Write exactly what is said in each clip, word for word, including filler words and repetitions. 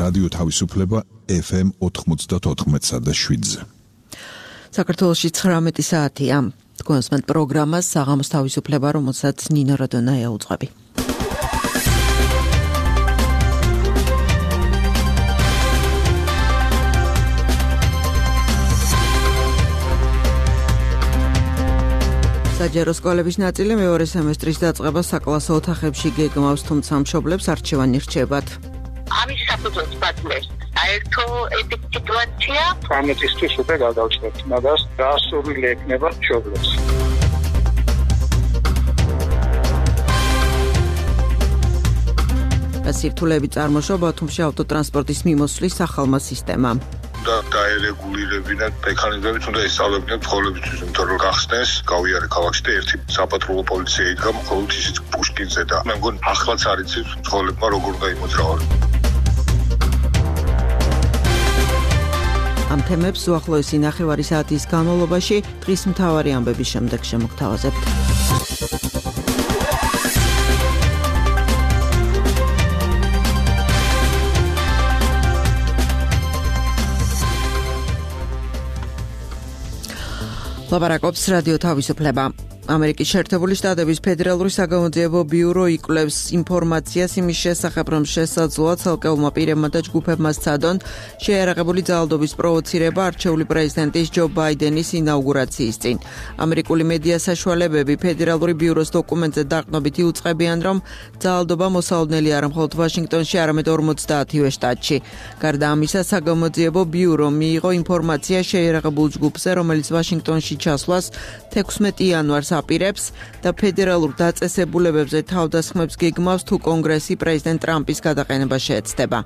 რადიო თავისუფლება ეფ ემ ოთხმოცდაოთხ და შვიდზე. საქართველოში ცხრამეტი საათია. თქვენს პროგრამას საღამოს თავისუფლება, რომელსაც ნინო რადონაია უძღვები. საჯარო სკოლების ნაწილი მეორე სემესტრის დაწყებას საკლასო ოთახებში გეგმავს, თუმცა მშობლებს არჩევანი რჩებათ. ამის საფუძველს ბადლებს საერთო ეფექტივაცია. ამისთვის უკვე გადავწყვეტ, მაგას გასურვილი ექნება მშობლებს. სირთულეები წარმოშობა თუმცა ავტოტრანსპორტის მიმოსვლის ახალმა სისტემამ. და დაერეგულირებინათ მექანიზმებით, უნდა ისწავლებინათ ცხოვრებისთვის, იმიტომ რომ გახსნეს, გავიარე ქალაქში და ერთი საპატრულო პოლიცია იდგა მხოლოდ ისიც პუშკინზე და მე მგონი ახლაც არ იცით ცხოვრებმა როგორ უნდა იმოძრავონ. ამ თემებს უახლოესი ნახევარი საათის განმავლობაში დღის მთავარი ამბების შემდეგ შემოგთავაზებთ. ლაპარაკობს რადიო თავისუფლება. ამერიკის შეერთებული შტატების ფედერალური საგამოძიებო ბიურო იკვლევს ინფორმაციას იმის შესახებ, რომ შესაძლოა ცალკეულმა პირებმა და ჯგუფებმა სცადონ შეიარაღებული ძალადობის პროვოცირება არჩეული პრეზიდენტის ჯო ბაიდენის ინაუგურაციის წინ. ამერიკული მედია საშუალებები ფედერალური ბიუროს დოკუმენტზე დაყრდნობით იუწყებიან, რომ ძალადობა მოსალოდნელი არა მხოლოდ ვაშინგტონში, არამედ ორმოცდაათივე შტატში. გარდა ამისა, საგამოძიებო ბიურო მიიღო ინფორმაცია შეიარაღებულ ჯგუფზე, რომელიც ვაშინგტონში ჩასვლას თექვსმეტი იანვარს აპირებს და ფედერალურ დაწესებულებებზე თავდასხმებს გეგმავს, თუ კონგრესი პრეზიდენტ ტრამპის გადაყენება შეეცდება.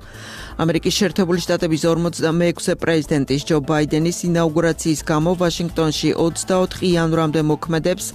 ამერიკის შეერთებული შტატების ორმოცდამეექვსე პრეზიდენტის ჯო ბაიდენის ინაუგურაციის გამო ვაშინგტონში ოცდაოთხ იანვრამდე მოქმედებს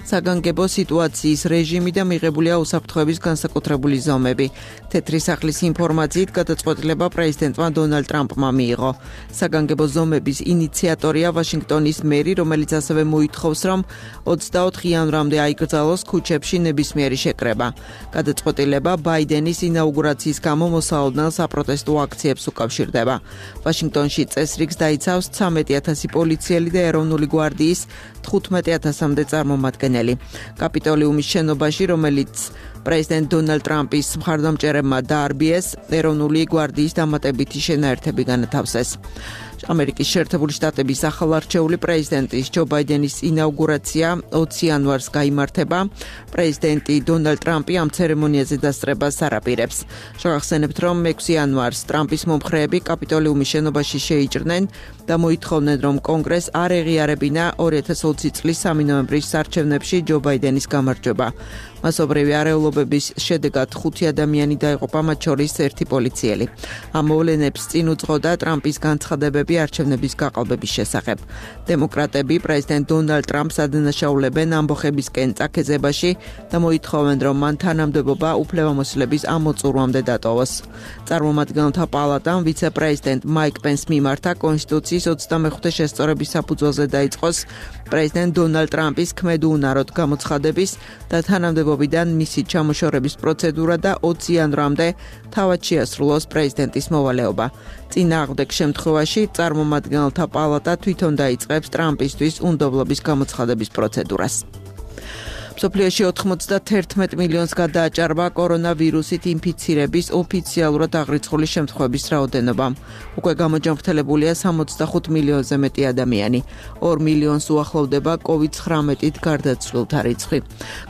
საგანგებო სიტუაციის რეჟიმი და მიღებულია უსაფრთხოების განსაკუთრებული ზომები. თეთრი სახლის ინფორმაციით გადაწყვეტილება პრეზიდენტმა დონალდ ტრამპმა მიიღო. საგანგებო ზომების ინიციატორია ვაშინგტონის მერი, რომელიც ასევე მოითხოვს, რომ ოცდაოთხ იანვრამდე აიკრძალოს ქუჩებში ნებისმიერი შეკრება. გადაწყვეტილება ბაიდენის ინაუგურაციის გამო მოსალოდნელ საპროტესტო აქციებს უკავშირდება. ვაშინგტონში წესრიგს დაიცავს ცამეტი ათასი პოლიციელი და ეროვნული გვარდიის თხუთმეტი ათასამდე წარმომადგენელი. კაპიტოლიუმის შენობაში, რომელიც პრეზიდენტ დონალდ ტრამპის მხარდამჭერებმა დაარბიეს, ეროვნული გვარდიის დამატებითი შენაერთები განათავსეს. ამერიკის შეერთებული შტატების ახალარჩეული პრეზიდენტის ჯო ბაიდენის ინაუგურაცია ოცი იანვარს გაიმართება. პრეზიდენტი დონალდ ტრამპი ამ ცერემონიაზე დასწრებას არ აპირებს. შევახსენებთ, რომ მეექვსე იანვარს ტრამპის მომხრეები კაპიტოლიუმის შენობაში შეიჭრნენ და მოითხოვნენ, რომ კონგრესს არ ეღიარებინა ორი ათას ოცი წლის სამი ნოემბრის არჩევნებში ჯო ბაიდენის გამარჯვება. მასობრივი არეულობების შედეგად ხუთი ადამიანი დაიღუპა, მათ შორის ერთი პოლიციელი. ამ მოვლენებს წინ უძღოდა ტრამპის განცხადებები არჩევნების გაყალბების შესახებ. დემოკრატები პრეზიდენტ დონალდ ტრამპს ადანაშაულებენ ამბოხებისკენ წაქეზებაში და მოითხოვენ, რომ მან თანამდებობა უფლებამოსილების ამოწურვამდე დატოვოს. წარმომადგენელთა პალატამ ვიცე-პრეზიდენტ მაიკ პენს მიმართა კონსტიტუციის ოცდამეხუთე შესწორების საფუძველზე დაიწყოს პრეზიდენტ დონალდ ტრამპის ქმედუუნაროდ გამოცხადების და თანამდებობიდან მისი ჩამოშორების პროცედურა და ოცი იანვრამდე თავად შეასრულოს პრეზიდენტის მოვალეობა. წინააღმდეგ შემთხვევაში წარმომადგენელთა პალატა თვითონ დაიწყებს ტრამპისთვის უნდობლობის გამოცხადების პროცედურას. მსოფლიოში ოთხმოცდაერთმეტ მილიონს გადააჭარბა კორონავირუსით ინფიცირების ოფიციალურად აღრიცხული შემთხვევების რაოდენობა. უკვე გამოჯანმრთელებულია სამოცდახუთ მილიონზე მეტი ადამიანი. ორ მილიონს უახლოვდება კოვიდ ცხრამეტით გარდაცვლილთა რიცხვი.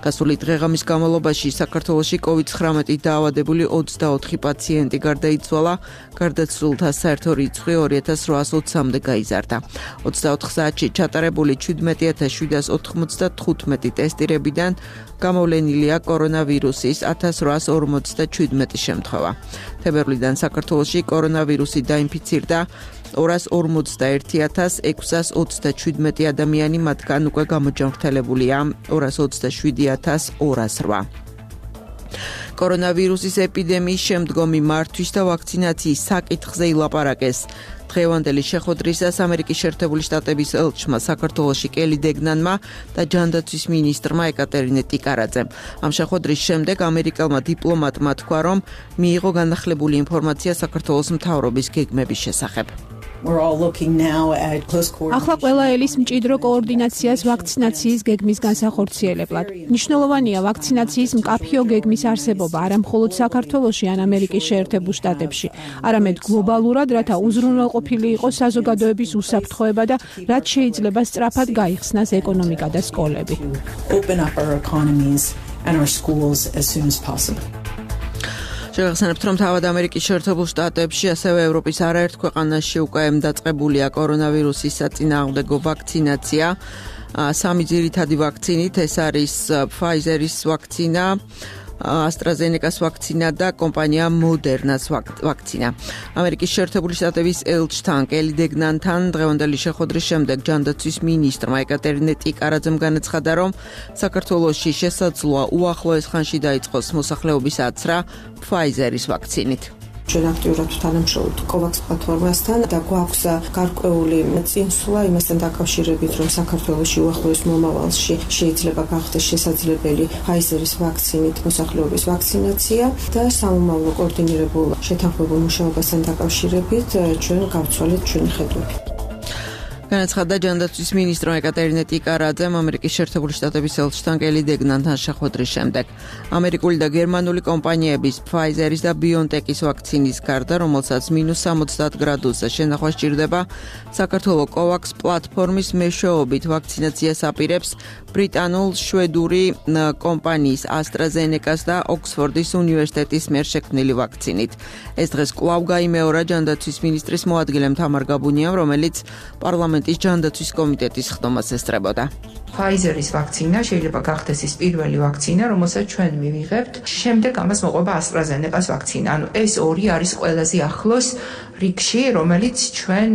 გასული დღეღამის განმავლობაში საქართველოში კოვიდ ცხრამეტით დაავადებული ოცდაოთხი პაციენტი გარდაიცვალა, გარდაცვლილთა საერთო რიცხვი ორი ათას რვაას ოცამდე გაიზარდა. ოცდაოთხ საათში ჩატარებული ჩვიდმეტი ათას შვიდას ოთხმოცდათხუთმეტი ტესტირებიდან გამოვლენილია კორონავირუსის ათას რვაას ორმოცდაჩვიდმეტი შემთხვევა. თებერვლიდან საქართველოში კორონავირუსით დაინფიცირდა ორას ორმოცდაერთი ათას ექვსას ოცდაჩვიდმეტი ადამიანი, მათგან უკვე გამოჯანმრთელებულია ორას ოცდაშვიდი ათას ორას რვა. კორონავირუსის ეპიდემიის შემდგომი მართვის და ვაქცინაციის საკითხზე ილაპარაკეს დღევანდელი შეხვედრისას ამერიკის შეერთებული შტატების ელჩმა საქართველოში კელი დეგნანმა და ჯანდაცვის მინისტრმა ეკატერინე ტიკარაძემ. ამ შეხვედრის შემდეგ ამერიკელმა დიპლომატმა თქვა, რომ მიიღო განახლებული ინფორმაცია საქართველოს მთავრობის გეგმების შესახებ. ახლა ყველა ელის მჭიდრო კოორდინაციას ვაქცინაციის გეგმის განსახორციელებლად. მნიშვნელოვანია ვაქცინაციის მკაფიო გეგმის არსებობა არა მხოლოდ საქართველოში ან ამერიკის შეერთებულ შტატებში, არამედ გლობალურად, რათა უზრუნველყოფილი იყოს საზოგადოების უსაფრთხოება და რაც შეიძლება სწრაფად გაიხსნას ეკონომიკა და სკოლები. შეგახსენებთ, რომ თავად ამერიკის შეერთებულ შტატებში, ასევე ევროპის არაერთ ქვეყანაში უკვე დაწყებულია კორონავირუსის საწინააღმდეგო ვაქცინაცია. სამი ძირითადი ვაქცინით, ეს არის Pfizer-ის ვაქცინა, AstraZeneca-ს ვაქცინა და კომპანია Moderna-ს ვაქცინა. ამერიკის შეერთებული შტატების ელჩთან კელი დეგნანთან დღევანდელი შეხვედრის შემდეგ ჯანდაცვის მინისტრმა ეკატერინე ტიკარაძემ განაცხადა, რომ საქართველოში შესაძლოა უახლოეს ხანში დაიწყოს მოსახლეობის აცრა Pfizer-ის ვაქცინით. ჩვენ აქტიურად თანამშრომლობთ COVAX პლატფორმასთან და გვაქვს გარკვეული წინსვლა იმასთან დაკავშირებით, რომ საქართველოში უახლოეს მომავალში შეიძლება გახდეს შესაძლებელი Pfizer-ის ვაქცინით მოსახლეობის ვაქცინაცია და სამომავლო კოორდინირებულ შეთანხმებულ მუშაობასთან დაკავშირებით ჩვენ გავცვალეთ ჩვენი ხედვები. განაცხადა ჯანდაცვის მინისტრმა ეკატერინე ტიკარაძემ ამერიკის შეერთებული შტატების ელჩთან კელი დეგნანთან შეხვედრის შემდეგ. ამერიკული და გერმანული კომპანიების Pfizer-ის და BioNTech-ის ვაქცინის გარდა, რომელსაც მინუს სამოცდაათ გრადუსზე შენახვა სჭირდება, საქართველოს COVAX პლატფორმის მეშვეობით ვაქცინაციას აპირებს ბრიტანულ-შვედური კომპანიის AstraZeneca-ს და ოქსფორდის უნივერსიტეტის მიერ შექმნილი ვაქცინით. ეს დღეს კვლავ გაიმეორა ჯანდაცვის მინისტრის მოადგილემ თამარ გაბუნიამ, რომელიც პარლამენტ ის ჯანდაცვის კომიტეტის ხდომას ესწრებოდა. Pfizer-ის ვაქცინა შეიძლება გახდეს ის პირველი ვაქცინა, რომელსაც ჩვენ მივიღებთ. შემდეგ ამას მოყვება AstraZeneca-ს ვაქცინა. ანუ ეს ორი არის ყველაზე ახლოს რიგში, რომელიც ჩვენ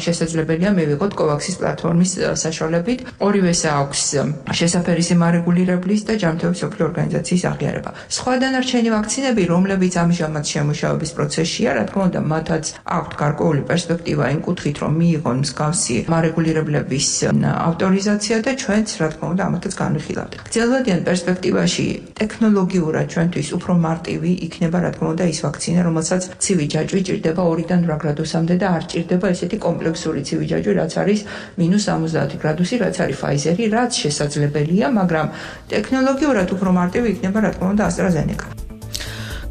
შესაძლებელია მივიღოთ COVAX-ის პლატფორმის საშუალებით. ორივეს აქვს შესაფერისი მარეგულირებლის და ჯანმრთელობის მსოფლიო ორგანიზაციის აღიარება. სხვა დანარჩენი ვაქცინები, რომლებიც ამჟამად შემუშავების პროცესშია, რა თქმა უნდა, მათაც აქვთ გარკვეული პერსპექტივა იმ კუთხით, რომ მიიღონ მსგავსი მარეგულირებლების ავტორიზაცია და ჩვენ რა თქმა უნდა ამათაც განვიხილავთ. გრძელვადიან პერსპექტივაში ტექნოლოგიურად ჩვენთვის უფრო მარტივი იქნება რა თქმა უნდა ის ვაქცინა, რომელსაც ცივი ჯაჭვი ჭირდება ორიდან რვა გრადუსამდე და არ ჭირდება ესეთი კომპლექსური ცივი ჯაჭვი, რაც არის მინუს სამოცდაათი გრადუსი, რაც არის Pfizer-ი, რაც შესაძლებელია, მაგრამ ტექნოლოგიურად უფრო მარტივი იქნება რა თქმა უნდა AstraZeneca.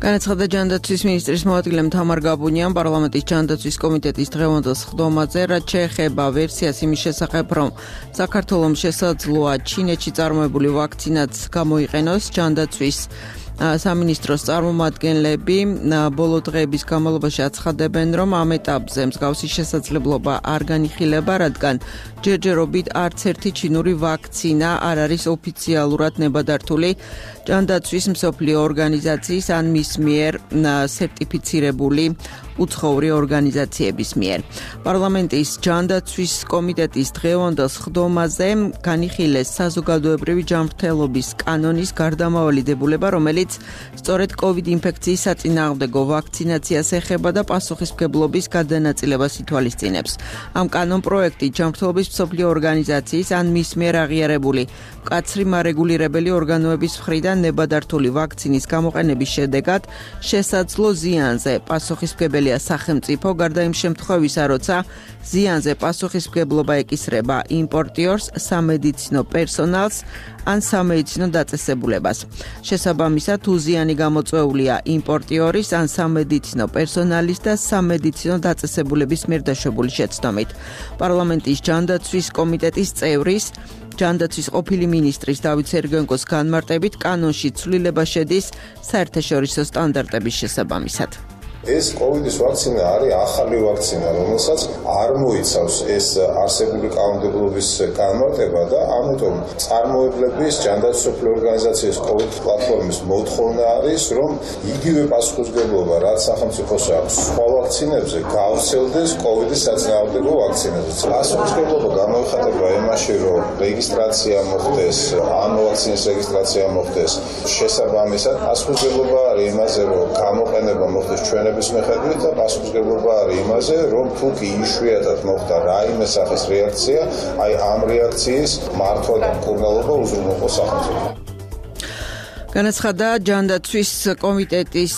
განაცხადა ჯანდაცვის მინისტრის მოადგილემ თამარ გაბუნიამ პარლამენტის ჯანდაცვის კომიტეტის დღევანდელ სხდომაზე, რაც შეეხება ვერსიას იმის შესახებ, რომ საქართველოს შესაძლოა ჩინეთში წარმოებული ვაქცინაც გამოიყენოს. ჯანდაცვის სამინისტროს წარმომადგენლები ბოლო დღეების განმავლობაში აცხადებენ, რომ ამ ეტაპზე მსგავსი შესაძლებლობა არ განიხილება, რადგან ჯერჯერობით არც ერთი ჩინური ვაქცინა არ არის ოფიციალურად ნებადართული ჯანდაცვის მსოფლიო ორგანიზაციის ან მის მიერ სერტიფიცირებული უცხოური ორგანიზაციების მიერ. პარლამენტის ჯანდაცვის კომიტეტის დღევანდელ სხდომაზე განიხილეს საზოგადოებრივი ჯანმრთელობის კანონის გარდამავალი დებულება, რომელიც სწორედ COVID ინფექციის საწინააღმდეგო ვაქცინაციას ეხება და პასუხისმგებლობის გადანაწილებას ითვალისწინებს. ამ კანონპროექტი ჯანმრთელობის მსოფლიო ორგანიზაციის ან მის მიერ აღიარებული მკაცრი მარეგულირებელი ორგანოების მხრიდან ნებადართული ვაქცინის გამოყენების შედეგად შესაძლო ზიანზე პასუხისმგებელია სახელმწიფო, გარდა იმ შემთხვევისა, როცა ზიანზე პასუხისმგებლობა ეკისრება იმპორტიორს, სამედიცინო პერსონალს ან სამედიცინო დაწესებულებას. შესაბამისად, თუ ზიანი გამოწვეულია იმპორტიორის ან სამედიცინო პერსონალის და სამედიცინო დაწესებულების მიერ დაშვებული შეცდომით. პარლამენტის ჯანდაცვის კომიტეტის წევრის ჯანდაცვის ყოფილი მინისტრის დავით სერგენკოს განმარტებით კანონში ცვლილება შედის საერთაშორისო სტანდარტების შესაბამისად. ეს COVID-ის ვაქცინა არის ახალი ვაქცინა, რომელსაც არ მოიცავს ეს არსებული კანონმდებლობის განმარტება და ამიტომ წარმოებლების ჯანდაცვის მსოფლიო ორგანიზაციის COVID პლატფორმის მოთხოვნა არის, რომ იგივე პასუხისმგებლობა, რაც სახელმწიფოს აქვს სხვა ვაქცინებზე, გავრცელდეს COVID-ის საწინააღმდეგო ვაქცინაზე. პასუხისმგებლობა გამოიხატება იმაში, რომ რეგისტრაცია მოხდეს, ამ ვაქცინის რეგისტრაცია მოხდეს. შესაბამისად, პასუხისმგებლობა არის იმაზე, რომ გამოყენება მოხდეს ჩვენ მოვლენების მიხედვით და პასუხისმგებლობა არის იმაზე, რომ თუ კი იშვიათად მოხდა რაიმე სახის რეაქცია, აი ამ რეაქციის მართვა და მკურნალობა უზრუნველყოს სახელმწიფო. განაცხადა ჯანდაცვის კომიტეტის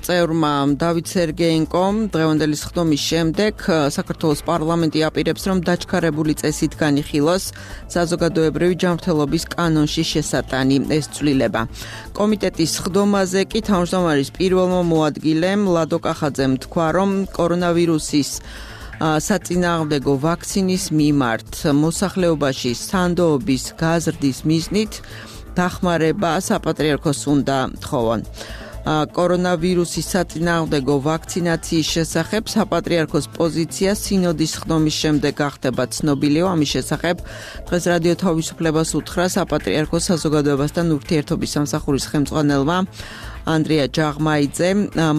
წევრმა დავით სერგეენკომ დღევანდელი სხდომის შემდეგ საქართველოს პარლამენტი აპირებს, რომ დაჩქარებული წესით განიხილოს საზოგადოებრივი ჯანმრთელობის კანონში შესატანი ეს ცვლილება. კომიტეტის სხდომაზე კი თავმჯდომარის პირველმა მოადგილემ ლადო კახაძემ თქვა, რომ კორონავირუსის საწინააღმდეგო ვაქცინის მიმართ მოსახლეობაში სანდოობის გაზრდის მიზნით დახმარება საპატრიარქოს უნდა თხოვონ. კორონავირუსის საწინააღმდეგო ვაქცინაციის შესახებ საპატრიარქოს პოზიცია სინოდის სხდომის შემდეგ გახდება ცნობილი. ამის შესახებ დღეს რადიო თავისუფლებას უთხრა საპატრიარქოს საზოგადოებასთან ურთიერთობის სამსახურის ხელმძღვანელმა ანდრია ჯაღმაიძე.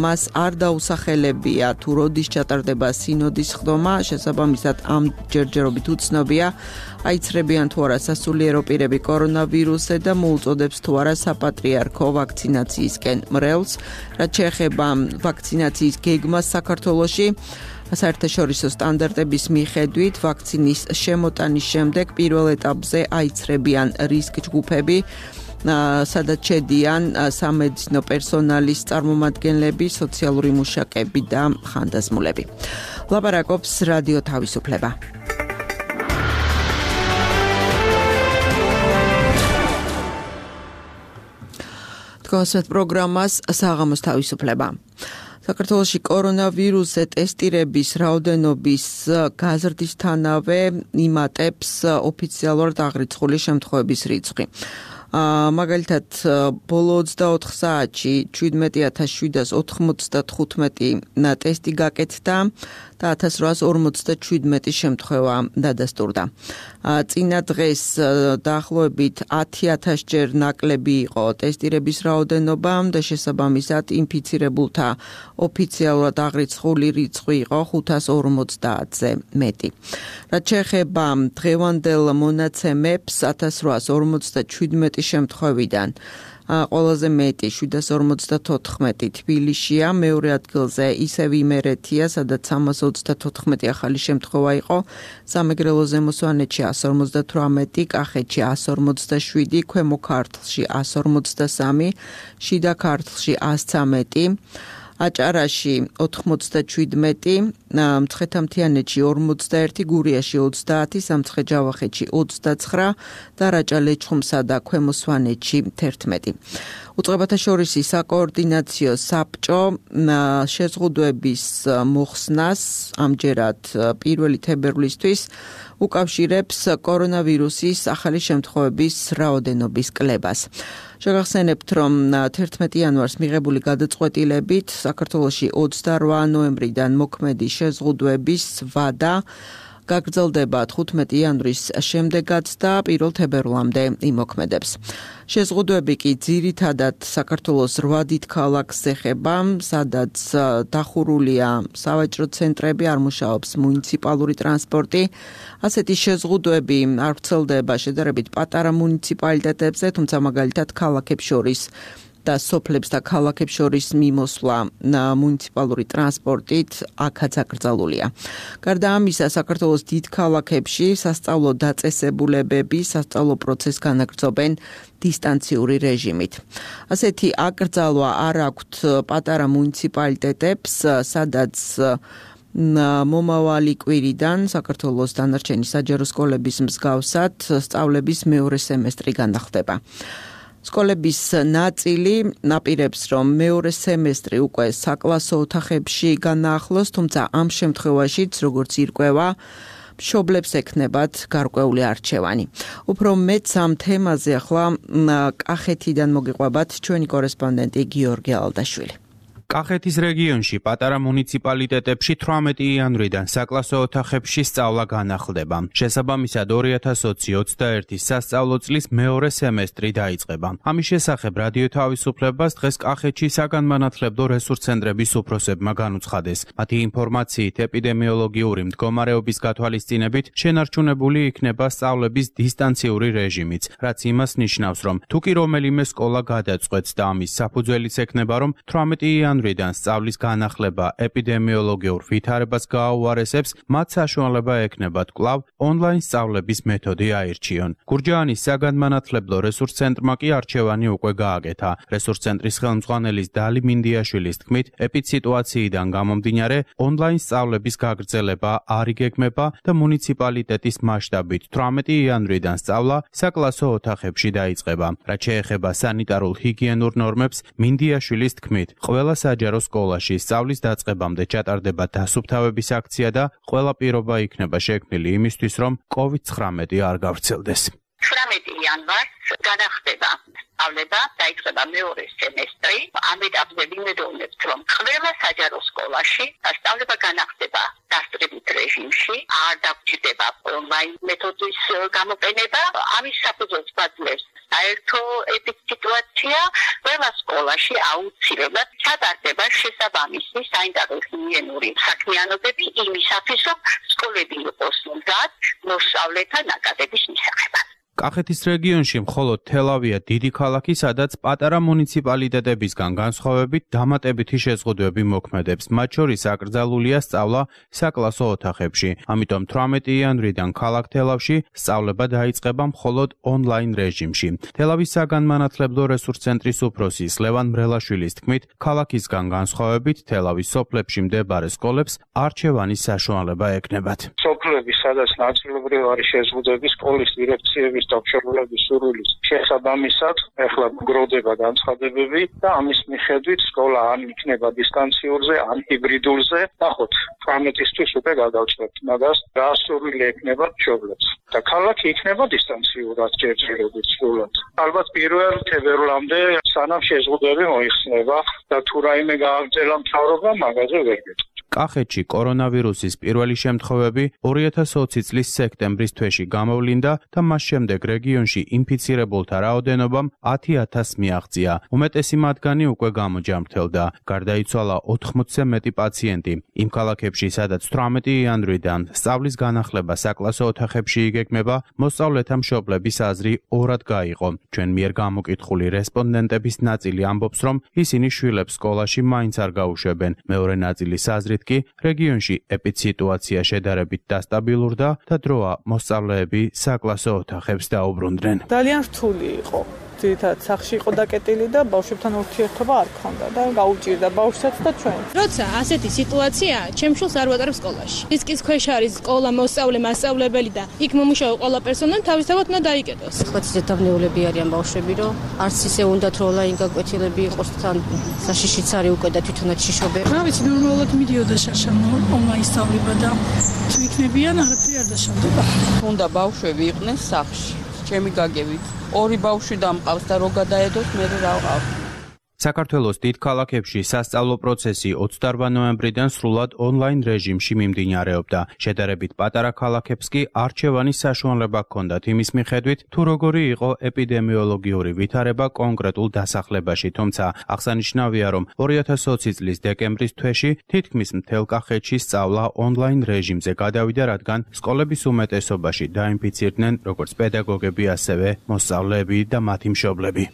მას არ დაუსახელებია თუ როდის ჩატარდება სინოდის სხდომა, შესაბამისად ამ ჯერჯერობით უცნობია აიცრებიან თუ არა სასულიერო პირები კორონავირუსზე და მოუწოდებს თუ არა საპატრიარქო ვაქცინაციისკენ მრევლს. რაც შეეხება ვაქცინაციის გეგმას საქართველოში, საერთაშორისო სტანდარტების მიხედვით ვაქცინის შემოტანის შემდეგ პირველ ეტაპზე აიცრებიან რისკ ჯგუფები, სადაც შედიან სამედიცინო პერსონალის წარმომადგენლები, სოციალური მუშაკები და ხანდაზმულები. ლაპარაკობს რადიო თავისუფლება. თქვენს პროგრამას საღამოს თავისუფლება. საქართველოში კორონავირუსზე ტესტირების რაოდენობის გაზრდისთანავე იმატებს ოფიციალურად აღრიცხული შემთხვევების რიცხვი. მაგალითად, ბოლო ოცდაოთხ საათში შვიდმეტი ათას შვიდას ოთხმოცდათხუთმეტი ტესტი გაკეთდა და ათას რვაას ორმოცდაშვიდმეტი შემთხვევა დადასტურდა. წინა დღეს დაახლოებით ათი ათასჯერ ნაკლები იყო ტესტირების რაოდენობა და შესაბამისად ინფიცირებულთა ოფიციალურად აღრიცხული რიცხვი იყო ხუთას ორმოცდაათზე მეტი. რაც შეეხება დღევანდელ მონაცემებს, ათას რვაას ორმოცდაშვიდმეტი შემთხვევიდან ყველაზე მეტი შვიდას ორმოცდათოთხმეტი თბილისშია, მეორე ადგილზე ისევ იმერეთია, სადაც სამას ოცდათოთხმეტი ახალი შემთხვევა იყო, სამეგრელო ზემო სვანეთში ას ორმოცდათვრამეტი, კახეთში ას ორმოცდაშვიდი, ქვემო ქართლში ას ორმოცდასამი, შიდა ქართლში ას ცამეტი, აჭარაში ოთხმოცდაშვიდმეტი, მცხეთა-მთიანეთში ორმოცდაერთი, გურიაში ოცდაათი, სამცხე-ჯავახეთში ოცდაცხრა და რაჭა-ლეჩხუმსა და ქვემო სვანეთში თერთმეტი. უწყებათა შორისი საკოორდინაციო საბჭო შეზღუდვების მოხსნას ამჯერად პირველი თებერვლისთვის უკავშირებს კორონავირუსის ახალი შემთხვევების რაოდენობის კლებას. შეგახსენებთ, რომ თერთმეტი იანვარს მიღებული გადაწყვეტილებით საქართველოში ოცდარვა ნოემბრიდან მოქმედი შეზღუდვების ვადა გაგრძელდება თხუთმეტი იანვრის შემდეგაც და პირველ თებერვლამდე იმოქმედებს. შეზღუდვები კი ძირითადად საქართველოს რვა დიდ ქალაქს ეხება, სადაც დახურულია სავაჭრო ცენტრები, არ მუშაობს მუნიციპალური ტრანსპორტი. ასეთი შეზღუდვები არ ვრცელდება შედარებით პატარა მუნიციპალიტეტებზე, თუმცა მაგალითად ქალაქებს შორის და სოფლებს და ქალაქებს შორის მიმოსვლა მუნიციპალური ტრანსპორტით აქაც აკრძალულია. გარდა ამისა, საქართველოს დიდ ქალაქებში სასწავლო დაწესებულებები სასწავლო პროცესს განაგრძობენ დისტანციური რეჟიმით. ასეთი აკრძალვა არ აქვთ პატარა მუნიციპალიტეტებს, სადაც მომავალი კვირიდან საქართველოს დანარჩენი საჯარო სკოლების მსგავსად სწავლების მეორე სემესტრი განახლდება. სკოლების ნაწილი ნაპირებს, რომ მეორე სემესტრი უკვე საკლასო ოთახებში განაახლოს, თუმცა ამ შემთხვევაშიც, როგორც ირკვევა, მშობლებს ექნებათ გარკვეული არჩევანი. უფრო მეც ამ თემაზე ახლა კახეთიდან მოგიყვებათ ჩვენი კორესპონდენტი გიორგი ალდაშვილი. კახეთის რეგიონში პატარა მუნიციპალიტეტებში თვრამეტი იანვრიდან საკლასო ოთახებში სწავლა განახლდება. შესაბამისად ორი ათას ოცდაერთის სასწავლო წლის მეორე სემესტრი დაიწყება. ამის შესახებ რადიო თავისუფლებას დღეს კახეთში საგანმანათლებლო რესურს ცენტრების უფროსებმა განუცხადეს. მათი ინფორმაციით ეპიდემიოლოგიური მდგომარეობის გათვალისწინებით შენარჩუნებული იქნება სწავლების დისტანციური რეჟიმიც, რაც იმას ნიშნავს, რომ თუ კი რომელიმე სკოლა გადაწყვეტს და ამის საფუძველიც ექნება, რომ თვრამეტი იანვრიდან იანვრიდან სწავლის განახლება ეპიდემიოლოგიურ ვითარებას გააუარესებს, მათ საშუალება ექნებათ კვლავ ონლაინ სწავლების მეთოდი აირჩიონ. გურჯაანის საგანმანათლებლო რესურს ცენტრმა კი არჩევანი უკვე გააკეთა. რესურს ცენტრის ხელმძღვანელის დალი მინდიაშვილის თქმით, ეპიდსიტუაციიდან გამომდინარე, ონლაინ სწავლების გაგრძელება არ იგეგმება და მუნიციპალიტეტის მასშტაბით თვრამეტი იანვრიდან სწავლა საკლასო ოთახებში დაიწყება. რაც შეეხება სანიტარულ ჰიგიენურ ნორმებს, მინდიაშვილის თქმით, ყველა საჯარო სკოლაში სწავლის დაწყებამდე ჩატარდება დასუფთავების აქცია და ყველა პირობა იქნება შექმნილი იმისთვის, რომ კოვიდ ცხრამეტი არ გავრცელდეს. თვრამეტი იანვარს განახდება სწავლება, დაიწყება მეორე სემესტრი. ამ ეტაპზე ვიმედოვნებთ, რომ ყველა საჯარო სკოლაში სწავლება განახდება დასწრებით რეჟიმში, არ დაგჭირდება ონლაინ მეთოდის გამოყენება. ამის საფუძველს გვაძლევს საერთო ეპიდსიტუაცია. ყველა სკოლაში აუცილებლად ჩატარდება შესაბამისი სანიტარო-ჰიგიენური საქმიანობები იმისათვის, რომ სკოლები იყოს მზად მოსწავლეთა ნაკადების მისაღებად. კახეთის რეგიონში მხოლოდ თელავია დიდი ქალაქი, სადაც პატარა მუნიციპალიტეტებისგან განსხვავებით დამატებითი შეზღუდვები მოქმედებს. მათ შორის აკრძალულია სწავლა საკლასო ოთახებში. ამიტომ თვრამეტი იანვრიდან ქალაქ თელავში სწავლება დაიწყება მხოლოდ ონლაინ რეჟიმში. თელავის საგანმანათლებლო რესურს ცენტრის უფროსის ლევან მრელაშვილის თქმით, ქალაქისგან განსხვავებით თელავის სოფლებში მდებარე სკოლებს არჩევანის საშუალება ექნებათ. სოფლები, სადაც ნაწილობრივ არის შეზღუდვები სკოლის დირექციების და მშობლების სურვილის შესაბამისად, ეხლა გროვდება განცხადებები და ამის მიხედვით სკოლა ან იქნება დისტანციურზე, ან ჰიბრიდულზე. ნახოთ, თვრამეტისთვის უკვე გადავწყვეტ მაგას, რა სურვილი ექნება მშობლებს. და ქალაქი იქნება დისტანციურად ჯერჯერობით სრულად. ალბათ პირველ თებერვლამდე სანამ შეზღუდვები მოიხსნება და თუ რაიმე გააგრძელა მთავრობა, მაგაზე ვერ გეტყვით. კახეთში კორონავირუსის პირველი შემთხვევები ორი ათას ოცი წლის სექტემბრის თვეში გამოვლინდა და მას შემდეგ რეგიონში ინფიცირებულთა რაოდენობამ ათი ათასს მიაღწია. უმეტესი მათგანი უკვე გამოჯამრთელდა. გარდაიცვალა ოთხმოცზე მეტი პაციენტი. იმ ქალაქებში, სადაც თვრამეტი იანვრიდან სწავლის განახლება საკლასო ოთახებში იგეგმება, მოსწავლეთა მშობლების აზრი ორად გაიყო. ჩვენ მიერ გამოკითხული რესპონდენტების ნაწილი ამბობს, რომ ისინი შვილებს სკოლაში მაინც არ გაუშვებენ. მეორე ნაწილის აზრით კი რეგიონში ეპიდსიტუაცია შედარებით დასტაბილურდა და დროა მოსწავლეები საკლასო ოთახებს დაუბრუნდნენ. ძალიან რთული იყო. ძირითადად სახში იყო დაკეტილი და ბავშვებთან ურთიერთობა არ ქონდა და გაუჭირდა ბავშვსაც და ჩვენ. როცა ასეთი სიტუაციაა, ჩემ შვილს არ ვატარებ სკოლაში. რისკის ქვეშ არის სკოლა, მოსწავლე, მასწავლებელი და იქ მომუშავე ყველა პერსონალი თავისთავად უნდა დაიკეტოს. ხო, ზედავნეულები არიან ბავშვები, რომ არც ისე უნდათ რომ ონლაინ გაკვეთილები იყოს თან საშიშიც არის უკვე და თვითონაც შიშობენ. რა ვიცი, ნორმალურად მიდიოდა შაშა ონლაინ სწავლება და თუ იქნებიან არაფერი არ დაშავდება. უნდა ბავშვები იყვნენ სახლში. ჩემი გაგებით ორი ბავშვი დამყავს და რო გადაედოს მე რა ვყავ. საქართველოს დიდ ქალაქებში სასწავლო პროცესი ოცდაოთხ ნოემბრიდან სრულად ონლაინ რეჟიმში მიმდინარეობდა. შედარებით პატარა ქალაქებს კი არჩევანის საშუალება ჰქონდათ იმის მიხედვით, თუ როგორი იყო ეპიდემიოლოგიური ვითარება კონკრეტულ დასახლებაში. თუმცა აღსანიშნავია, რომ ორი ათას ოცი წლის დეკემბრის თვეში თითქმის მთელ კახეთში სწავლა ონლაინ რეჟიმზე გადავიდა, რადგან სკოლების უმეტესობაში დაინფიცირდნენ როგორც პედაგოგები, ასევე მოსწავლეები და მათი მშობლები.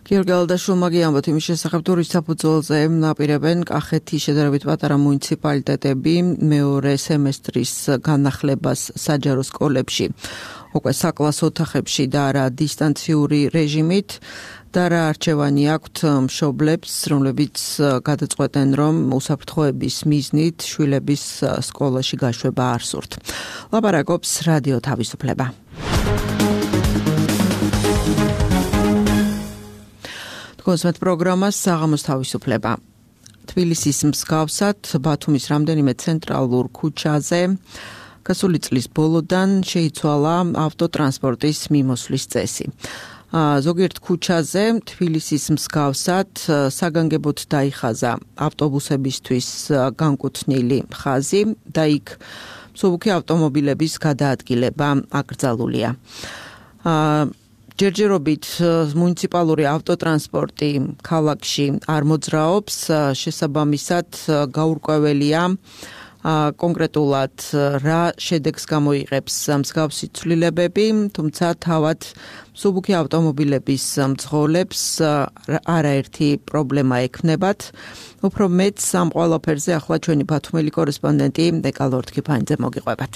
გიორგი ალდაშვილმა გიამბოთ იმის შესახებ, თუ რის საფუძველზე აპირებენ კახეთის შედარებით პატარა მუნიციპალიტეტები მეორე სემესტრის განახლებას საჯარო სკოლებში, უკვე საკლასო ოთახებში და არა დისტანციური რეჟიმით და რა არჩევანი აქვთ მშობლებს, რომლებიც გადაწყვეტენ, რომ უსაფრთხოების მიზნით შვილების სკოლაში გაშვება არ სურთ. ლაპარაკობს რადიო თავისუფლება. კონსვეთ პროგრამას საღამოს თავისუფლება. თბილისის მსგავსად ბათუმის რამდენიმე ცენტრალურ ქუჩაზე გასული წლის ბოლოდან შეიცვალა ავტოტრანსპორტის მიმოსვლის წესი. ზოგიერთ ქუჩაზე თბილისის მსგავსად საგანგებოდ დაიხაზა ავტობუსებისთვის განკუთვნილი ხაზი და იქ მსუბუქი ავტომობილების გადაადგილება აკრძალულია. ჯერჯერობით მუნიციპალური ავტოტრანსპორტი ქალაქში არ მოძრაობს, შესაბამისად გაურკვეველია კონკრეტულად რა შედეგს გამოიღებს მსგავსი ცვლილებები, თუმცა თავად მსუბუქი ავტომობილების მძღოლებს არაერთი პრობლემა ექმნებათ. უფრო მეც ამ ყველაფერზე ახლა ჩვენი ბათუმელი კორესპონდენტი დეკალორდ ქიფანიძე მოგიყვებათ.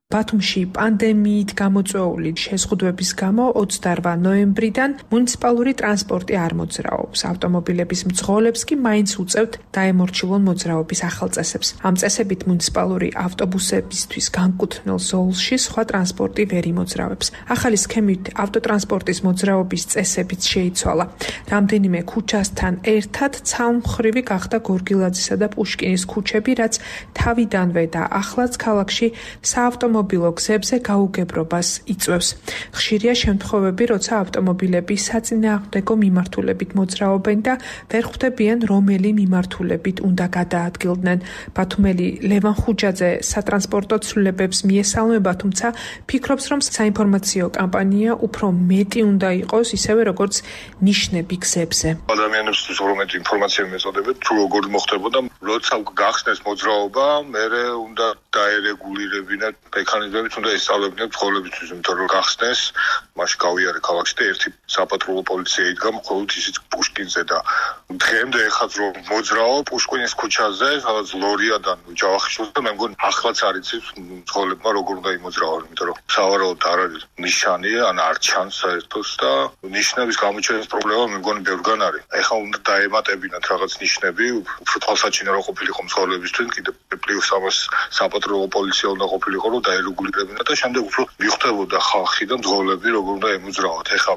ბათუმში პანდემიით გამოწვეული შეზღუდვების გამო ოცდაოთხ ნოემბრიდან მუნიციპალური ტრანსპორტი არ მოძრაობს. ავტომობილების მძღოლებს კი მაინც უწევთ დაემორჩილონ მოძრაობის ახალ წესებს. ამ წესებით მუნიციპალური ავტობუსებისთვის განკუთვნილ ზოლში სხვა ტრანსპორტი ვერ იმოძრავებს. ახალი სქემით ავტოტრანსპორტის მოძრაობის წესებიც შეიცვალა. რამდენიმე ქუჩასთან ერთად ცალმხრივი გახდა გორგილაძისა და პუშკინის ქუჩები, რაც თავიდანვე და ახლაც ქალაქში საავტომობილო ავტომობილო გზებზე გაუგებრობას იწვევს. ხშირია შემთხვევები, როცა ავტომობილები საწინააღმდეგო მიმართულებით მოძრაობენ და ვერ ხვდებიან, რომელი მიმართულებით უნდა გადაადგილდნენ. ბათუმელი ლევან ხუჯაძე სატრანსპორტო ცვლილებებს მიესალმება, თუმცა ფიქრობს, რომ საინფორმაციო კამპანია უფრო მეტი უნდა იყოს, ისევე როგორც ნიშნები გზებზე. ადამიანებისთვის რომელი ინფორმაცია მეწოდებათ, თუ როგორ მოხდებოდა, როცა გახსნეს მოძრაობა, მერე უნდა დაერეგულირებინათ მექანიზმებით, უნდა ესწავლებინათ მძღოლებისთვის, იმიტომ რომ გახსნეს, მაშინ გავიარე ქალაქში და ერთი საპატრულო პოლიცია იდგა მხოლოდ ისიც პუშკინზე და დღემდე ეხაც რომ მოძრაო პუშკინის ქუჩაზე, სადაც ლორიადან ჯავახიშვილს და მე მგონი ახლაც არ იცის მძღოლებმა როგორ უნდა იმოძრავონ, იმიტომ რომ სავარაუდოდ არ არის ნიშანი, ან არ ჩანს საერთოდ და ნიშნების გამოჩენის პრობლემა მე მგონი ბევრგან არის. ეხლა უნდა დაემატებინათ რაღაც ნიშნები, უფრო თვალსაჩინო რო ყოფილიყო მძღოლებისთვის, კიდე პლუს ამას საპატრულო პოლიცია უნდა ყოფილიყო, რომ დაერეგულირებინა და შემდეგ უფრო მიხვდებოდა ხალხი და მძღოლები როგორ უნდა ემოძრავოთ. ეხლა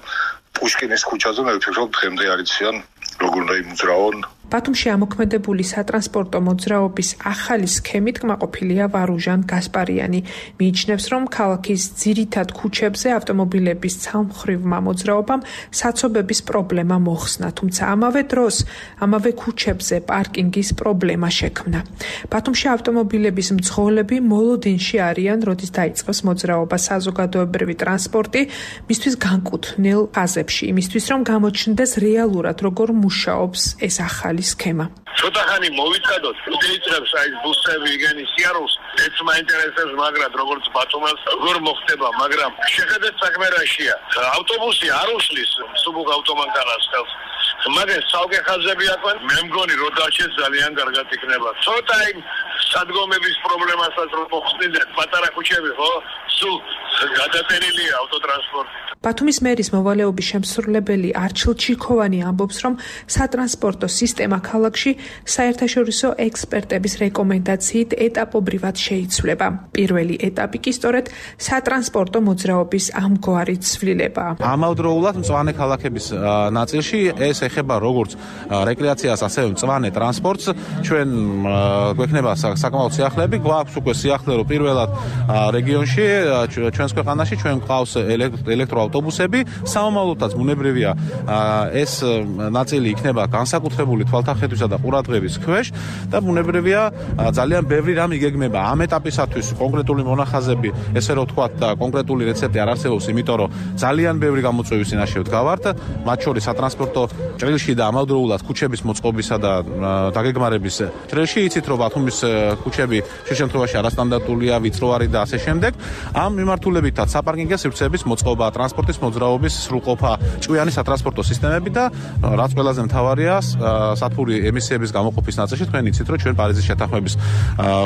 პუშკინის ქუჩაზე მე ვფიქრობ დღემდე არ იციან როგორ უნდა იმოძრავონ. ბათუმში ამოქმედებული სატრანსპორტო მოძრაობის ახალი სქემით კმაყოფილია ვარუჟან გასპარიანი. მიიჩნევს, რომ ქალაქის ძირითად ქუჩებზე ავტომობილების ცალმხრივმა მოძრაობამ საცობების პრობლემა მოხსნა, თუმცა ამავე დროს ამავე ქუჩებზე პარკინგის პრობლემა შექმნა. ბათუმში ავტომობილების მძღოლები მოლოდინში არიან, როდის დაიწყოს მოძრაობა საზოგადოებრივი ტრანსპორტი, მისთვის განკუთვნილ ფაზებში, იმისთვის რომ გამოჩნდეს რეალურად როგორ მუშაობს ეს ახალი სქემა. ცოტა ხანი მოვიწყდოთ, დაიწყებს აი ბუსები იგენი სიარულს, ეც მაინტერესებს, მაგრამ როგორც ბათუმელს როგორ მოხდება, მაგრამ შეხედეთ საქმე რაშია. ავტობუსი არ უშლის მსუბუქ ავტომანქანას ხელს. მაგრამ ცალკე ხაზები აქვენ, მე მგონი რომ დარჩეს ძალიან კარგად იქნება. ცოტა იმ სადგომების პრობლემასაც რომ მოხსნიდნენ, პატარა ქუჩები ხო? სულ გადატერილია ავტოტრანსპორტი. ბათუმის მერის მოვალეობის შემსრულებელი არჩილ ჩიქოვანი ამბობს, რომ სატრანსპორტო სისტემა ქალაქში საერთაშორისო ექსპერტების რეკომენდაციით ეტაპობრივად შეიცვლება. პირველი ეტაპი კი სწორედ სატრანსპორტო მოძრაობის ამგვარი ცვლილებაა. ამავდროულად მწვანე ქალაქების ნაწილში ეს ეხება როგორც რეკრეაციას, ასევე მწვანე ტრანსპორტს. ჩვენ გვექნება საკმაოდ სიახლეები, გვაქვს უკვე სიახლე, რომ პირველად რეგიონში ჩვენს ქვეყანაში ჩვენ გვყავს ელექტროავტობუსები, სამომავლოდაც ბუნებრივია ეს ნაწილი იქნება განსაკუთრებული თვალთახედვისა და ყურადღების ქვეშ და ბუნებრივია ძალიან ბევრი რამ იგეგმება. ამ ეტაპისათვის კონკრეტული მონახაზები, ესე რომ ვთქვათ, და კონკრეტული რეცეპტი არ არსებობს, იმიტომ რომ ძალიან ბევრი გამოწვევის წინაშე ვდგავართ, მათ შორის სატრანსპორტო ჭრილში და ამავდროულად ქუჩების მოწყობისა და დაგეგმარების ჭრილში. იცით, რომ ბათუმის ქუჩები შე შემთხვევაში არასტანდარტულია, ვიწროარი და ასე შემდეგ. ამ მიმართულებითაც საპარკინგო სივრცეების მოწყობა, ტრანსპორტის მოძრაობის სრულყოფა, ჭკვიანი სატრანსპორტო სისტემები და რაც ყველაზე მთავარია, სათბური ემისიების გამოყოფის ნაწილში თქვენ იცით, რომ ჩვენ პარიზის შეთანხმების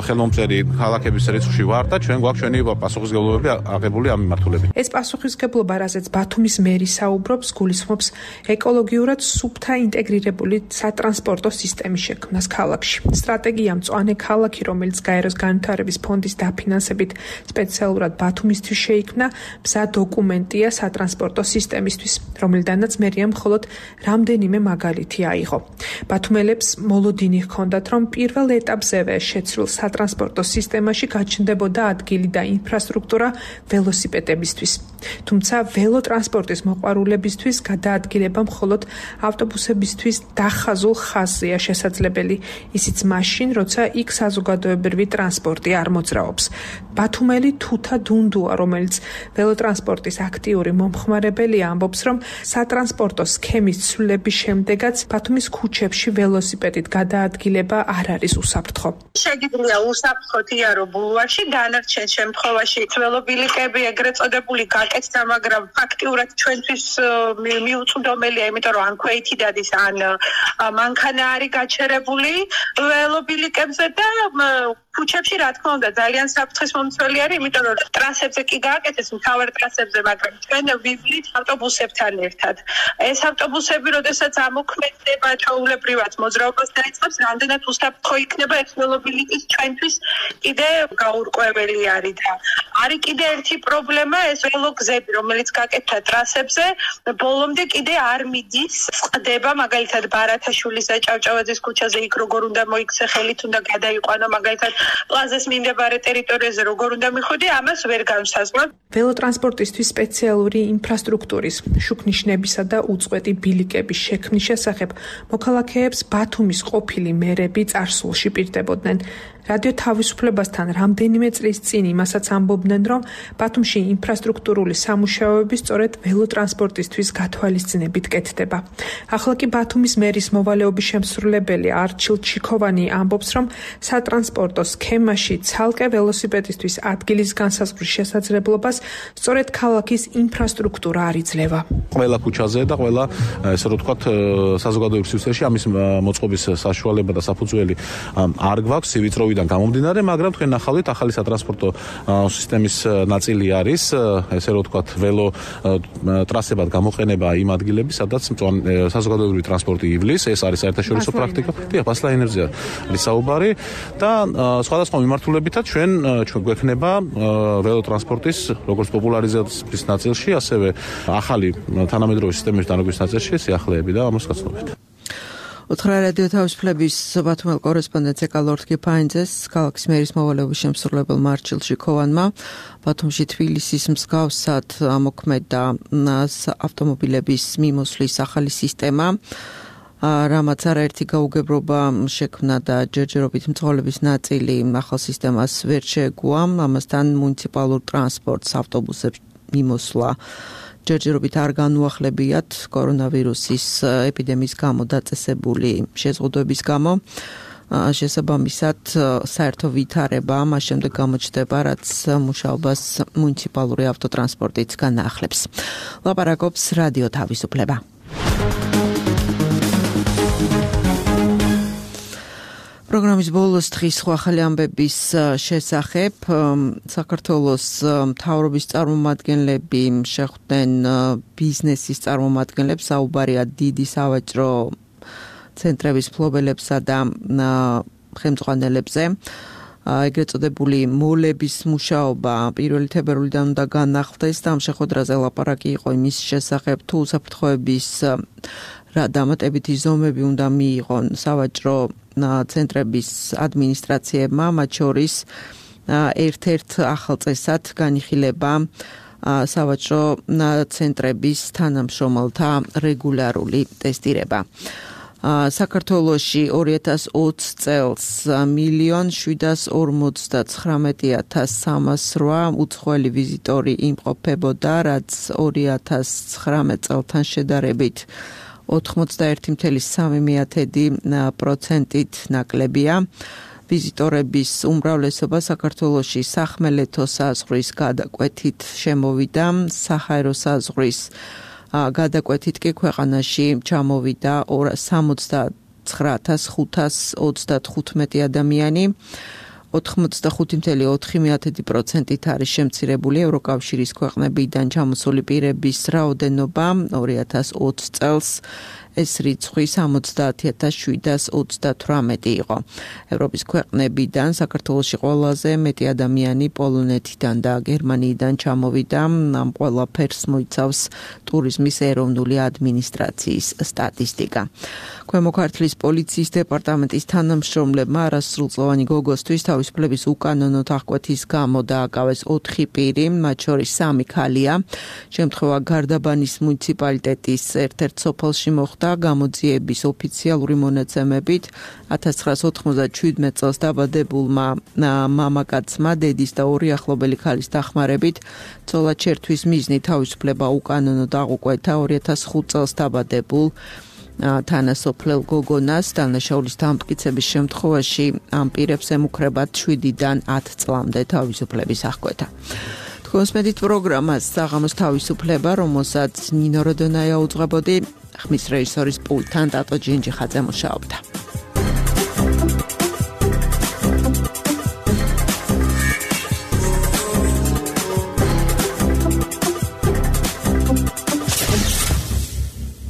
ხელმომწერი ქალაქების რიცხვში ვართ და ჩვენ გვაქვს ჩვენი პასუხისმგებლობები აღებული ამ მიმართულებით. ეს პასუხისმგებლობა, რაზეც ბათუმის მერი საუბრობს, გულისხმობს ეკოლოგიურად სუფთა ინტეგრირებული სატრანსპორტო სისტემის შექმნას ქალაქში. სტრატეგია მწვანე ქალაქი, რომელიც გაეროს განვითარების ფონდის დაფინანსებით სპეციალურად ბათუმისთვის შეიქმნა, მზა დოკუმენტია სატრანსპორტო სისტემისთვის, რომელიდანაც მერიამ მხოლოდ რამდენიმე მაგალითი აიღო. ბათუმელებს მოლოდინი ჰქონდათ, რომ პირველ ეტაპზევე შეცვლილ სატრანსპორტო სისტემაში გაჩნდებოდა ადგილი და ინფრასტრუქტურა ველოსიპედებისთვის. თუმცა ველოტრანსპორტის მოყვარულებისთვის გადაადგილება მხოლოდ ავტობუსებისთვის დახაზულ ხაზზეა შესაძლებელი, ისიც მაშინ, როცა იქ საზოგადოებრივი ტრანსპორტი არ მოძრაობს. ბათუმელი თუთა დუნდუა, რომელიც ველოტრანსპორტის აქტიური მომხმარებელია, ამბობს, რომ სატრანსპორტო სქემის ცვლილების შემდეგაც ბათუმის ქუჩებში ველოსიპედით გადაადგილება არ არის უსაფრთხო. შეგიძლია უსაფრთხოდ იარო ბულვარში, დანარჩენ შემთხვევაში ველობილიკები ეგრეთ წოდებული გაკეთდა, მაგრამ ფაქტიურად ჩვენთვის მიუწვდომელია, იმიტომ რომ ან ქვეითი დადის, ან მანქანა არის გაჩერებული ველობილიკებზე და ქუჩებში რა თქმა უნდა ძალიან საფრთხის მომცველი არის, იმიტომ რომ ტრასებზე კი გააკეთეს, მთავარ ტრასებზე, მაგრამ ჩვენ ვიბლით ავტობუსებთან ერთად. ეს ავტობუსები, როდესაც ამოქმედება ჩვეულებრივად მოძრაობას დაიწყებს, რამდენად უსაფრთხო იქნება ეს ველობილიკის ჩვენთვის კიდე გაურკვეველი არის და არის კიდე ერთი პრობლემა, ეს ველოგზები, რომელიც გაკეთდა ტრასებზე, ბოლომდე კიდე არ მიდის, წყდება, მაგალითად ბარათაშვილის და ჭავჭავაძის ქუჩაზე იქ როგორ უნდა მოიქცე ხელით, უნდა გადაიყვანო, მაგალითად პლაზას მიმდებარე ტერიტორიაზე როგორ უნდა მიხვიდე, ამას ვერ განსაზღვრებ. ველოტრანსპორტისთვის სპეციალური ინფრასტრუქტურის, შუქნიშნებისა და უწყვეტი ბილიკების შექმნის შესახებ მოქალაქეებს ბათუმის ყოფილი მერები წარსულში პირდებოდნენ. რადიო თავისუფლებასთან რამდენიმე წლის წინ იმასაც ამბობდნენ, რომ ბათუმში ინფრასტრუქტურული სამუშაოები სწორედ ველოტრანსპორტისთვის გათვალისწინებით კეთდება. ახლა კი ბათუმის მერის მოვალეობის შემსრულებელი არჩილ ჩიქოვანი ამბობს, რომ სატრანსპორტო სქემაში ცალკე ველოსიპედისთვის ადგილის განსაზღვრის შესაძლებლობას სწორედ ქალაქის ინფრასტრუქტურა არ იძლევა. ყველა ქუჩაზე და ყველა ესე რომ ვთქვათ საზოგადოებრივ სივრცეში ამის მოწყობის საშუალება და საფუძველი არ გვაქვს სივიწროვიდან გამომდინარე, მაგრამ თქვენ ნახავთ ახალი სატრანსპორტო სისტემის ნაწილი არის, ესე რომ ვთქვათ ველო ტრასებად გამოყენება იმ ადგილების, სადაც საზოგადოებრივი ტრანსპორტი ივლის, ეს არის საერთაშორისო პრაქტიკა. დიახ, ბასლაინერზე არის საუბარი და სხვადასხვა მიმართულებითაც ჩვენ ჩვენ გვექნება ველოტრანსპორტის როგორც პოპულარიზაციის ნაწილში, ასევე ახალი თანამედროვე სისტემების დანერგვის ნაწილში სიახლეები და ამას გაცნობთ. უთხრა რადიო თავისუფლების ბათუმელ კორესპონდენტს ეკალორთ კიფაინძეს, ქალაქის მერის მოვალეობის შემსრულებელმა არჩილ ჩიქოვანმა ბათუმში თბილისის მსგავსად ამოქმედა ავტომობილების მიმოსვლის ახალი სისტემა, რამაც არაერთი გაუგებრობა შექმნა და ჯერჯერობით მძღოლების ნაწილი ახალ სისტემას ვერ შეეგუა, ამასთან მუნიციპალურ ტრანსპორტს ავტობუსებს მიმოსვლა ჯერჯერობით არ განუახლებიათ კორონავირუსის ეპიდემიის გამო დაწესებული შეზღუდვების გამო. შესაბამისად საერთო ვითარება მას შემდეგ გამოჩნდება, რაც მუშაობას მუნიციპალური ავტოტრანსპორტიც განაახლებს. ლაპარაკობს რადიო თავისუფლება. პროგრამის ბოლოს დღის სხვა ახალი ამბების შესახებ საქართველოს მთავრობის წარმომადგენლები შეხვდნენ ბიზნესის წარმომადგენლებს, საუბარია დიდი სავაჭრო ცენტრების მფლობელებსა და ხელმძღვანელებზე. ეგრეთ წოდებული მოლების მუშაობა პირველი თებერვლიდან უნდა განახლდეს და ამ შეხვედრაზე ლაპარაკი იყო იმის შესახებ, თუ უსაფრთხოების რა დამატებითი ზომები უნდა მიიღონ სავაჭრო ცენტრების ადმინისტრაციებმა, მათ შორის ერთ-ერთ ახალ წესად განიხილება სავაჭრო ცენტრების თანამშრომელთა რეგულარული ტესტირება. საქართველოში ორი ათას ოცი წელს მილიონ შვიდას ორმოცდათხრამეტი ათას სამას რვა უცხოელი ვიზიტორი იმყოფებოდა, რაც ორი ათას ცხრამეტ წელთან შედარებით ოთხმოცდაერთი წამი სამი პროცენტით ნაკლებია. ვიზიტორების უმრავლესობა საქართველოში სახმელეთო საზღვრის გადაკვეთით შემოვიდა, საჰაერო საზღვრის გადაკვეთით კი ქვეყანაში ჩამოვიდა სამოცდათხრა ათას ხუთას ოცდათხუთმეტი ადამიანი. ოთხმოცდახუთი წამი ოთხი პროცენტით არის შემცირებული ევროკავშირის ქვეყნებიდან ჩამოსული პირების რაოდენობა ორი ათას ოცი წელს ეს რიცხვი სამოცდაათი ათას შვიდას ოცდათვრამეტი იყო. ევროპის ქვეყნებიდან საქართველოში ყველაზე მეტი ადამიანი პოლონეთიდან და გერმანიიდან ჩამოვიდა. ამ ყველაფერს მოიცავს ტურიზმის ეროვნული ადმინისტრაციის სტატისტიკა. ქვემო ქართლის პოლიციის დეპარტამენტის თანამშრომლებმა არასრულწლოვანი გოგოსთვის თავისუფლების უკანონო აღკვეთის გამო დააკავეს ოთხი პირი, მათ შორის სამი ქალია. შემთხვევა გარდაბანის მუნიციპალიტეტის ერთ-ერთ სოფელში მოხდა. გამოძიების ოფიციალური მონაცემებით ათას ცხრაასა ოთხმოცდაშვიდმეტ წელს დაბადებულმა მამაკაცმა დედის და ორი ახლობელი ქალის დახმარებით ცოლად შერთვის მიზნით თავისუფლება უკანონო აღუკვეთა ორი ათას ხუთი წელს დაბადებულ თანასოფლელ გოგონას. დანაშაულის დამტკიცების შემთხვევაში ამ პირებს ემუქრებათ შვიდიდან ათ წლამდე თავისუფლების აღკვეთა. თქვენს მედით პროგრამას საღამოს თავისუფლება, რომელსაც ნინო როდონაია უძღვებოდი, ხმის რეჟისორის პულტთან ტატო ჯინჯიხაძე მუშაობდა.